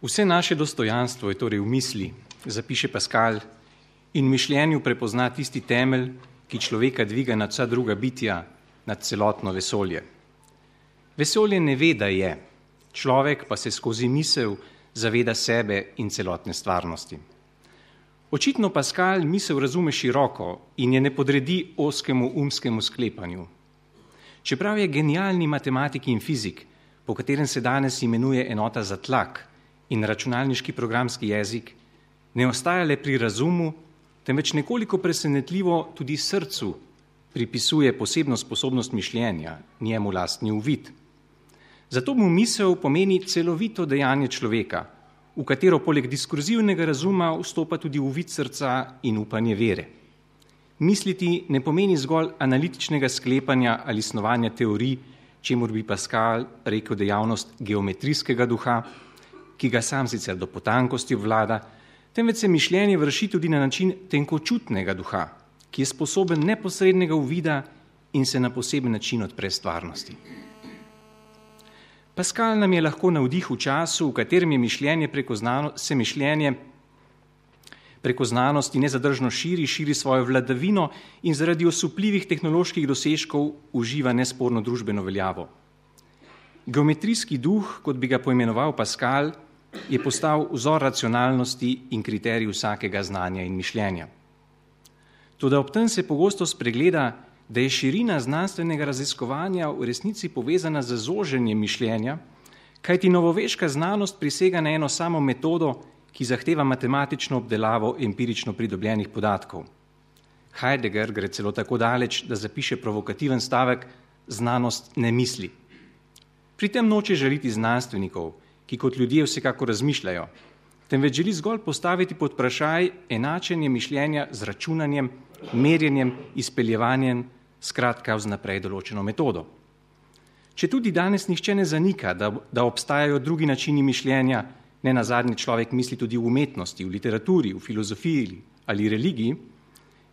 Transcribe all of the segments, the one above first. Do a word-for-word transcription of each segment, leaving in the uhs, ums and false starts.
Vse naše dostojanstvo je torej v misli, zapiše Pascal, in v mišljenju prepozna tisti temelj, ki človeka dviga nad vsa druga bitja, nad celotno vesolje. Vesolje ne ve, da je, človek pa se skozi misel zaveda sebe in celotne stvarnosti. Očitno Pascal misel razume široko in je ne podredi ozkemu umskemu sklepanju. Čeprav je genialni matematik in fizik, po katerem se danes imenuje enota za tlak in računalniški programski jezik, ne ostaja le pri razumu, temveč nekoliko presenetljivo tudi srcu pripisuje posebno sposobnost mišljenja, njemu lastni uvid. Zato mu misel pomeni celovito dejanje človeka, v katero poleg diskurzivnega razuma vstopa tudi uvid srca in upanje vere. Misliti ne pomeni zgolj analitičnega sklepanja ali snovanja teorij, čemur bi Pascal rekel dejavnost geometrijskega duha, ki ga sam sicer do potankosti obvlada, temveč se mišljenje vrši tudi na način tenkočutnega duha, ki je sposoben neposrednega uvida in se na poseben način odpre stvarnosti. Pascal nam je lahko navdih v času, v katerem je mišljenje preko znano, se mišljenje preko znanosti nezadržno širi, širi svojo vladavino in zaradi osupljivih tehnoloških dosežkov uživa nesporno družbeno veljavo. Geometrijski duh, kot bi ga poimenoval Pascal, je postal vzor racionalnosti in kriterij vsakega znanja in mišljenja. Toda ob tem se pogosto spregleda, da je širina znanstvenega raziskovanja v resnici povezana z zoženjem mišljenja, kajti novoveška znanost prisega na eno samo metodo, ki zahteva matematično obdelavo empirično pridobljenih podatkov. Heidegger gre celo tako daleč, da zapiše provokativen stavek: znanost ne misli. Pri tem noče žaliti znanstvenikov, ki kot ljudje vsekako razmišljajo, temveč želi zgolj postaviti pod vprašaj enačenje mišljenja z računanjem, merjenjem, izpeljevanjem, skratka vnaprej določeno metodo. Če tudi danes nihče ne zanika, da, da obstajajo drugi načini mišljenja, ne nazadnje človek misli tudi v umetnosti, v literaturi, v filozofiji ali religiji,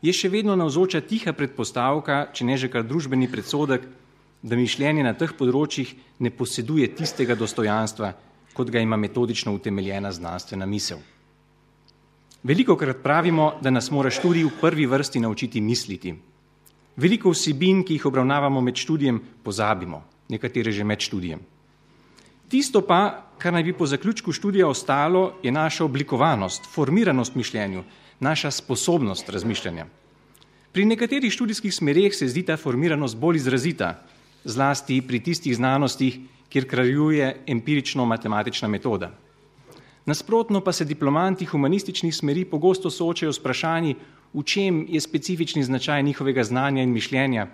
je še vedno navzoča tiha predpostavka, če ne že kar družbeni predsodek, da mišljenje na teh področjih ne poseduje tistega dostojanstva, kot ga ima metodično utemeljena znanstvena misel. Velikokrat pravimo, da nas mora študij v prvi vrsti naučiti misliti. Veliko vsebin, ki jih obravnavamo med študijem, pozabimo, nekatere že med študijem. Tisto pa, kar naj bi po zaključku študija ostalo, je naša oblikovanost, formiranost mišljenju, naša sposobnost razmišljanja. Pri nekaterih študijskih smereh se zdi ta formiranost bolj izrazita, zlasti pri tistih znanostih, kjer kraljuje empirično-matematična metoda. Nasprotno pa se diplomanti humanističnih smeri pogosto soočajo s vprašanji, v čem je specifični značaj njihovega znanja in mišljenja,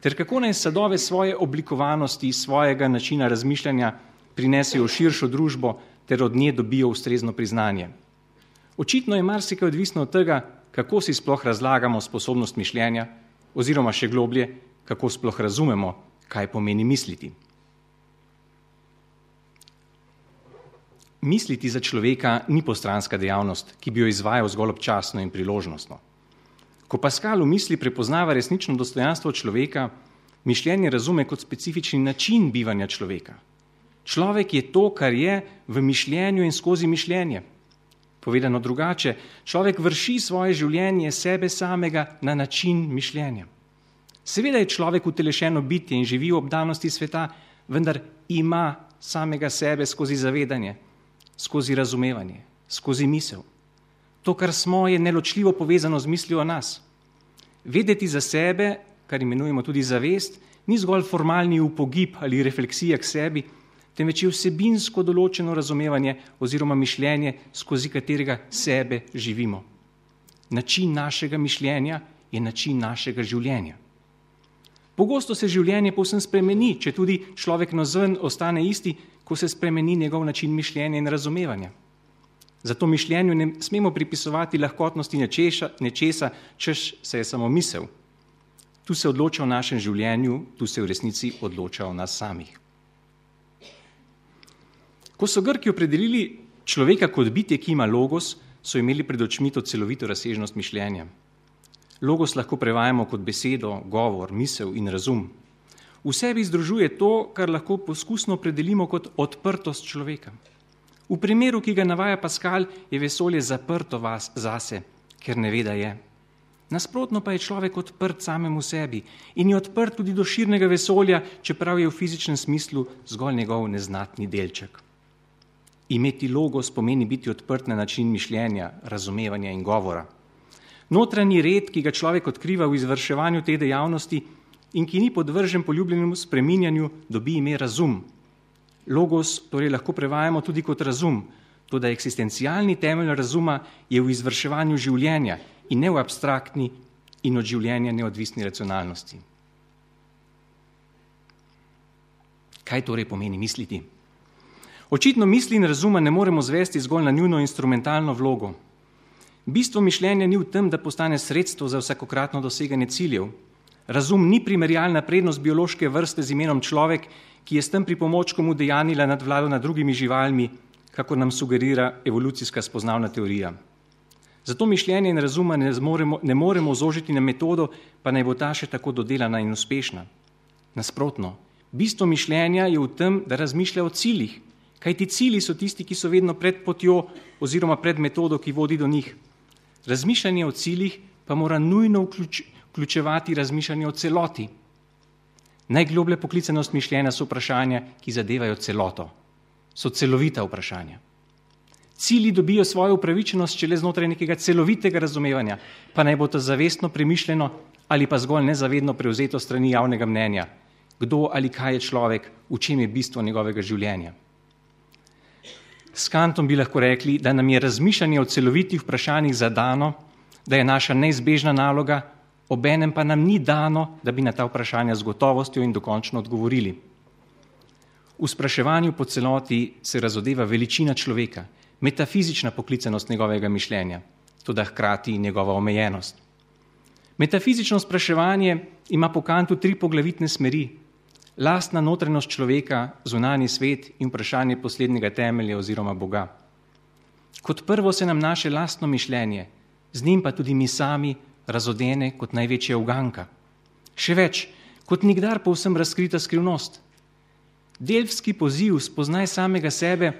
ter kako naj sadove svoje oblikovanosti, svojega načina razmišljanja prinesejo v širšo družbo ter od nje dobijo ustrezno priznanje. Očitno je marsikaj odvisno od tega, kako si sploh razlagamo sposobnost mišljenja, oziroma še globlje, kako sploh razumemo, kaj pomeni misliti. Misliti za človeka ni postranska dejavnost, ki bi jo izvajal zgolj občasno in priložnostno. Ko Pascal v misli prepoznava resnično dostojanstvo človeka, mišljenje razume kot specifični način bivanja človeka. Človek je to, kar je v mišljenju in skozi mišljenje. Povedano drugače, človek vrši svoje življenje sebe samega na način mišljenja. Seveda je človek utelešeno bitje in živi v obdanosti sveta, vendar ima samega sebe skozi zavedanje, skozi razumevanje, skozi misel. To, kar smo, je neločljivo povezano z mislijo o nas. Vedeti za sebe, kar imenujemo tudi zavest, ni zgolj formalni upogib ali refleksija k sebi, temveč je vsebinsko določeno razumevanje oziroma mišljenje, skozi katerega sebe živimo. Način našega mišljenja je način našega življenja. Pogosto se življenje povsem spremeni, če tudi človek navzven ostane isti, ko se spremeni njegov način mišljenja in razumevanja. Zato mišljenju ne smemo pripisovati lahkotnosti nečesa, nečesa, češ se je samo misel. Tu se odloča o našem življenju, tu se v resnici odloča o nas samih. Ko so Grki opredelili človeka kot bitje, ki ima logos, so imeli pred očmi to celovito razsežnost mišljenja. Logos lahko prevajamo kot besedo, govor, misel in razum. V sebi združuje to, kar lahko poskusno opredelimo kot odprtost človeka. V primeru, ki ga navaja Pascal, je vesolje zaprto vas zase, ker ne ve, da je. Nasprotno pa je človek odprt samemu sebi in je odprt tudi do širnega vesolja, čeprav je v fizičnem smislu zgolj njegov neznatni delček. Imeti logos pomeni biti odprt na način mišljenja, razumevanja in govora. Notranji red, ki ga človek odkriva v izvrševanju te dejavnosti in ki ni podvržen poljubljenemu spreminjanju, dobi ime razum. Logos torej lahko prevajamo tudi kot razum, toda eksistencialni temelj razuma je v izvrševanju življenja in ne v abstraktni in od življenja neodvisni racionalnosti. Kaj torej pomeni misliti? Očitno misli in razuma ne moremo zvesti zgolj na njuno instrumentalno vlogo. Bistvo mišljenja ni v tem, da postane sredstvo za vsakokratno doseganje ciljev. Razum ni primerjalna prednost biološke vrste z imenom človek, ki je s tem pripomočkom udejanila nadvlado nad drugimi živalmi, kakor nam sugerira evolucijska spoznavna teorija. Zato mišljenje in razuma ne moremo, ne moremo zožiti na metodo, pa naj bo ta še tako dodelana in uspešna. Nasprotno, bistvo mišljenja je v tem, da razmišlja o ciljih, kajti cilji so tisti, ki so vedno pred potjo oziroma pred metodo, ki vodi do njih. Razmišljanje o ciljih pa mora nujno vključ, vključevati razmišljanje o celoti. Najgloblja poklicanost mišljenja so vprašanja, ki zadevajo celoto. So celovita vprašanja. Cilji dobijo svojo upravičenost šele znotraj nekega celovitega razumevanja, pa naj bo to zavestno premišljeno ali pa zgolj nezavedno prevzeto strani javnega mnenja. Kdo ali kaj je človek, v čem je bistvo njegovega življenja. S Kantom bi lahko rekli, da nam je razmišljanje o celovitih vprašanjih zadano, da je naša neizbežna naloga, obenem pa nam ni dano, da bi na ta vprašanja z gotovostjo in dokončno odgovorili. V spraševanju po celoti se razodeva veličina človeka, metafizična poklicanost njegovega mišljenja, toda hkrati njegova omejenost. Metafizično spraševanje ima po Kantu tri poglavitne smeri: lastna notranjost človeka, zunanji svet in vprašanje poslednjega temelja oziroma Boga. Kot prvo se nam naše lastno mišljenje, z njim pa tudi mi sami, razodene kot največja uganka. Še več, kot nikdar povsem razkrita skrivnost. Delfski poziv spoznaj samega sebe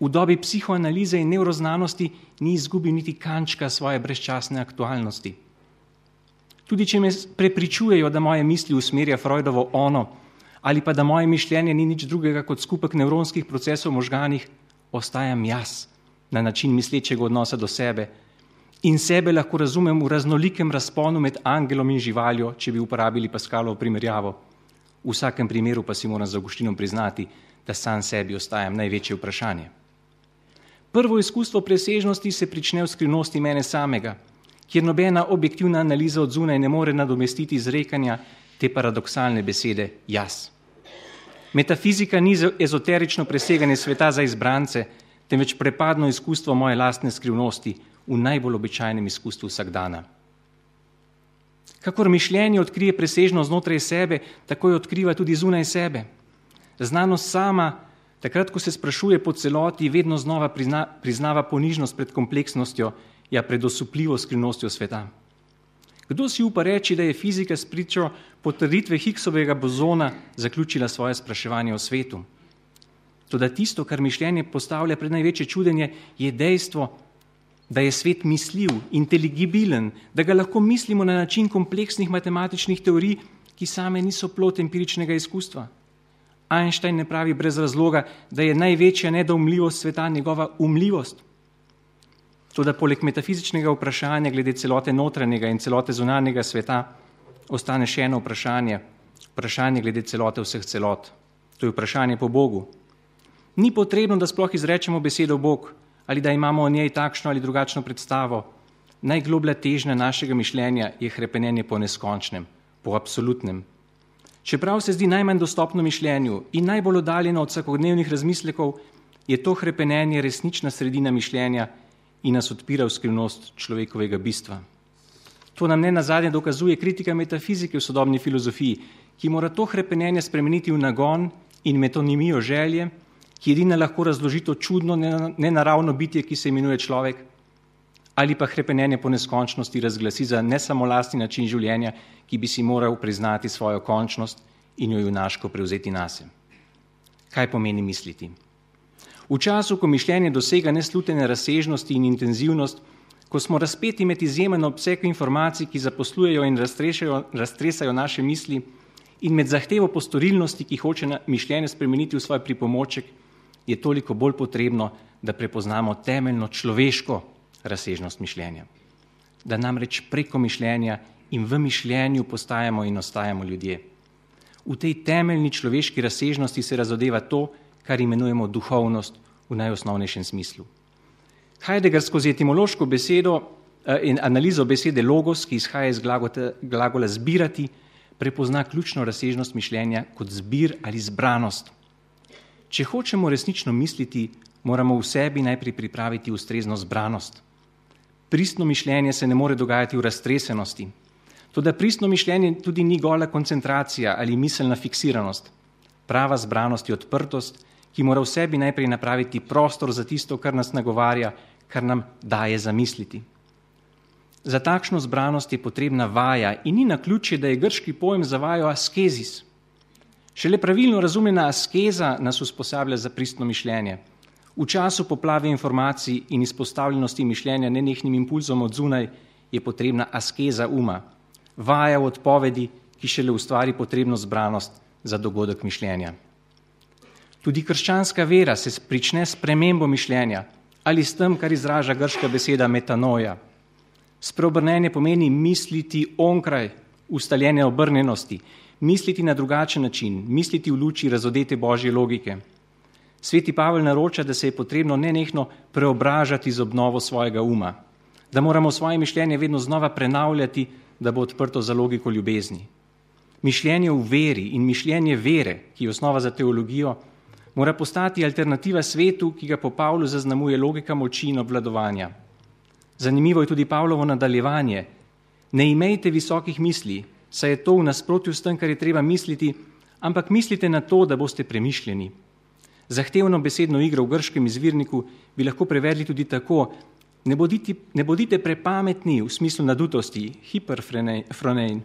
v dobi psihoanalize in nevroznanosti ni izgubil niti kančka svoje brezčasne aktualnosti. Tudi če me prepričujejo, da moje misli usmerja Freudovo ono, ali pa da moje mišljenje ni nič drugega kot skupek nevronskih procesov v možganih, ostajam jaz na način mislečega odnosa do sebe in sebe lahko razumem v raznolikem razponu med angelom in živaljo, če bi uporabili Pascalovo primerjavo. V vsakem primeru pa si moram z Avgustinom priznati, da sam sebi ostajam največje vprašanje. Prvo izkustvo presežnosti se prične v skrivnosti mene samega, kjer nobena objektivna analiza od zunaj ne more nadomestiti izrekanja te paradoksalne besede jaz. Metafizika ni ezoterično preseganje sveta za izbrance, temveč prepadno izkustvo moje lastne skrivnosti v najbolj običajnem izkustvu vsakdana. Kakor mišljenje odkrije presežno znotraj sebe, tako jo odkriva tudi zunaj sebe. Znanost sama, takrat, ko se sprašuje po celoti, vedno znova prizna, priznava ponižnost pred kompleksnostjo, ja pred osupljivo skrivnostjo sveta. Kdo si upa reči, da je fizika s pričo potrditve Higgsovega bozona zaključila svoje spraševanje o svetu? Toda tisto, kar mišljenje postavlja pred največje čudenje, je dejstvo, da je svet misljiv, inteligibilen, da ga lahko mislimo na način kompleksnih matematičnih teorij, ki same niso plod empiričnega izkustva. Einstein ne pravi brez razloga, da je največja nedoumljivost sveta njegova umljivost. Toda poleg metafizičnega vprašanja glede celote notranjega in celote zunanjega sveta ostane še eno vprašanje, vprašanje glede celote vseh celot. To je vprašanje po Bogu. Ni potrebno, da sploh izrečemo besedo Bog ali da imamo o njej takšno ali drugačno predstavo. Najgloblja težnja našega mišljenja je hrepenenje po neskončnem, po absolutnem. Čeprav se zdi najmanj dostopno mišljenju in najbolj oddaljeno od vsakodnevnih razmislekov, je to hrepenenje resnična sredina mišljenja in nas odpira v skrivnost človekovega bistva. To nam ne nazadnje dokazuje kritika metafizike v sodobni filozofiji, ki mora to hrepenenje spremeniti v nagon in metonimijo želje, ki edina lahko razloži to čudno, nenaravno bitje, ki se imenuje človek, ali pa hrepenenje po neskončnosti razglasi za ne samo lastni način življenja, ki bi si moral priznati svojo končnost in jo junaško prevzeti nase. Kaj pomeni misliti? V času, ko mišljenje dosega neslutene razsežnosti in intenzivnost, ko smo razpeti med izjemen obseg informacij, ki zaposlujejo in raztresajo naše misli, in med zahtevo po storilnosti, ki hoče mišljenje spremeniti v svoj pripomoček, je toliko bolj potrebno, da prepoznamo temeljno človeško razsežnost mišljenja. Da namreč preko mišljenja in v mišljenju postajamo in ostajamo ljudje. V tej temeljni človeški razsežnosti se razodeva to, kar imenujemo duhovnost v najosnovnejšem smislu. Heidegger skozi etimološko besedo in analizo besede logos, ki izhaja iz glagola zbirati, prepozna ključno razsežnost mišljenja kot zbir ali zbranost. Če hočemo resnično misliti, moramo v sebi najprej pripraviti ustrezno zbranost. Pristno mišljenje se ne more dogajati v raztresenosti. Toda pristno mišljenje tudi ni gola koncentracija ali miselna fiksiranost. Prava zbranost je odprtost, ki mora v sebi najprej napraviti prostor za tisto, kar nas nagovarja, kar nam daje zamisliti. Za takšno zbranost je potrebna vaja in ni naključje, da je grški pojem za vajo askezis. Šele pravilno razumljena askeza nas usposablja za pristno mišljenje. V času poplave informacij in izpostavljenosti mišljenja nenehnim impulzom od zunaj je potrebna askeza uma, vaja v odpovedi, ki šele ustvari potrebno zbranost za dogodek mišljenja. Tudi krščanska vera se prične s spremembo mišljenja ali s tem, kar izraža grška beseda metanoja. Spreobrnenje pomeni misliti onkraj ustaljene obrnjenosti, misliti na drugačen način, misliti v luči razodete božje logike. Sveti Pavel naroča, da se je potrebno nenehno preobražati z obnovo svojega uma, da moramo svoje mišljenje vedno znova prenavljati, da bo odprto za logiko ljubezni. Mišljenje v veri in mišljenje vere, ki je osnova za teologijo, mora postati alternativa svetu, ki ga po Pavlu zaznamuje logika moči in obvladovanja. Zanimivo je tudi Pavlovo nadaljevanje. Ne imejte visokih misli, saj je to v nasprotju s tem, kar je treba misliti, ampak mislite na to, da boste premišljeni. Zahtevno besedno igro v grškem izvirniku bi lahko prevedli tudi tako: ne bodite, ne bodite prepametni v smislu nadutosti, hiperfronein,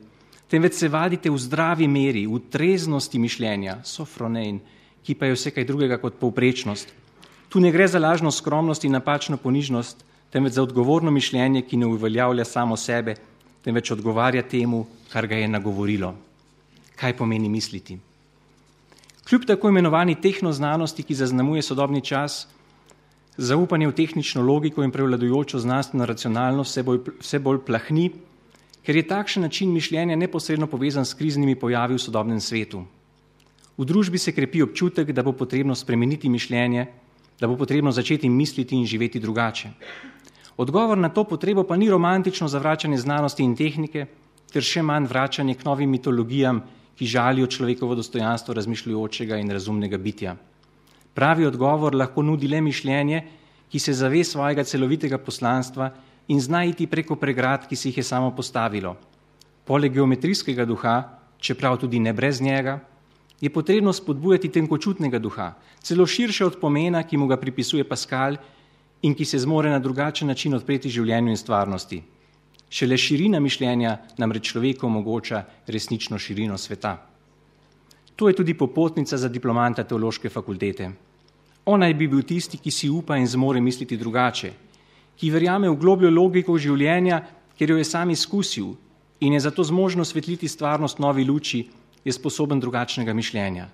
temveč se vadite v zdravi meri, v treznosti mišljenja, sofronein, ki pa je vse kaj drugega kot povprečnost. Tu ne gre za lažno skromnost in napačno ponižnost, temveč za odgovorno mišljenje, ki ne uveljavlja samo sebe, temveč odgovarja temu, kar ga je nagovorilo. Kaj pomeni misliti? Kljub tako imenovani tehnoznanosti, ki zaznamuje sodobni čas, zaupanje v tehnično logiko in prevladujočo znanstveno racionalnost vse bolj, vse bolj plahni, ker je takšen način mišljenja neposredno povezan s kriznimi pojavi v sodobnem svetu. V družbi se krepi občutek, da bo potrebno spremeniti mišljenje, da bo potrebno začeti misliti in živeti drugače. Odgovor na to potrebo pa ni romantično zavračanje znanosti in tehnike, ter še manj vračanje k novim mitologijam, ki žalijo človekovo dostojanstvo razmišljujočega in razumnega bitja. Pravi odgovor lahko nudi le mišljenje, ki se zave svojega celovitega poslanstva in zna iti preko pregrad, ki si jih je samo postavilo. Poleg geometrijskega duha, čeprav tudi ne brez njega, je potrebno spodbujati tenkočutnega duha, celo širše od pomena, ki mu ga pripisuje Pascal in ki se zmore na drugačen način odpreti življenju in stvarnosti. Šele širina mišljenja namreč človeku omogoča resnično širino sveta. To je tudi popotnica za diplomanta teološke fakultete. On naj bi bil tisti, ki si upa in zmore misliti drugače, ki verjame v globljo logiko življenja, ker jo je sam izkusil in je zato zmožno svetliti stvarnost novi luči, je sposoben drugačnega mišljenja.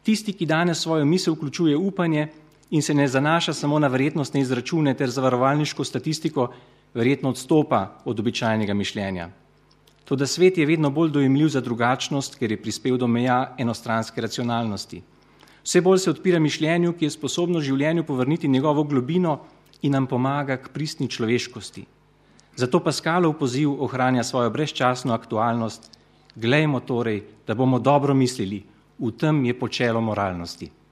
Tisti, ki danes svojo misel vključuje upanje in se ne zanaša samo na verjetnostne izračune ter zavarovalniško statistiko, verjetno odstopa od običajnega mišljenja. Toda svet je vedno bolj dojemljiv za drugačnost, ker je prispel do meja enostranske racionalnosti. Vse bolj se odpira mišljenju, ki je sposobno življenju povrniti njegovo globino in nam pomaga k pristni človeškosti. Zato Pascalov poziv ohranja svojo brezčasno aktualnost. Glejmo torej, da bomo dobro mislili, v tem je počelo moralnosti.